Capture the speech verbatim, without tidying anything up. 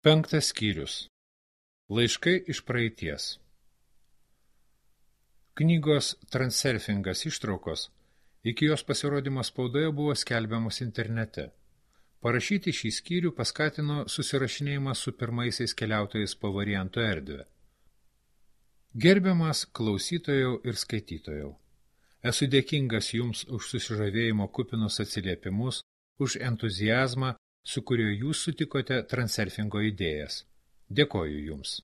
Penktas skyrius. Laiškai iš praeities. Knygos Transurfingas ištraukos iki jos pasirodymo spaudoje buvo skelbiamos internete. Parašyti šį skyrių paskatino susirašinėjimas su pirmaisiais keliautojais po variantų erdvę. Gerbiamas klausytojau ir skaitytojau, esu dėkingas jums už susižavėjimo kupinus atsiliepimus, už entuziazmą, su kuriuo jūs sutikote Transurfingo idėjas. Dėkoju jums.